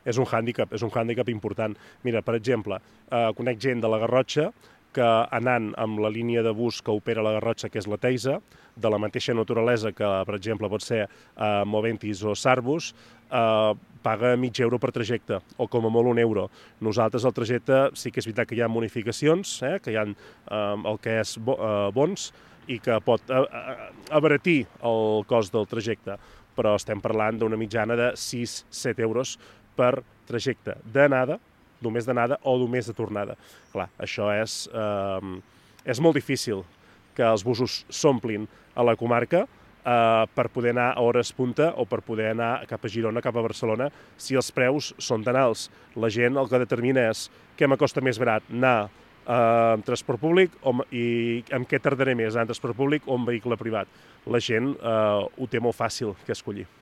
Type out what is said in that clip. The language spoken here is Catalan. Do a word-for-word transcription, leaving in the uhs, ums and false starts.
és un hàndicap, és un hàndicap important. Mira, per exemple, eh, conec gent de la Garrotxa que anant amb la línia de bus que opera la Garrotxa, que és la Teisa, de la mateixa naturalesa que, per exemple, pot ser eh, Moventis o Sarbus, eh, paga mig euro per trajecte, o com a molt un euro. Nosaltres el trajecte sí que és veritat que hi ha bonificacions, eh, que hi ha eh, el que és bo, eh, bons, i que pot eh, abaratir el cost del trajecte, però estem parlant d'una mitjana de sis a set euros per trajecte d'anada, només d'anada o només de tornada. Clar, això és, eh, és molt difícil que els busos s'omplin a la comarca eh, per poder anar a hores punta o per poder anar cap a Girona, cap a Barcelona, si els preus són tan alts. La gent el que determina és què m'acosta més barat, anar eh, amb transport públic o, i amb què tardaré més, anar en transport públic o en vehicle privat. La gent eh, ho té molt fàcil que escollir.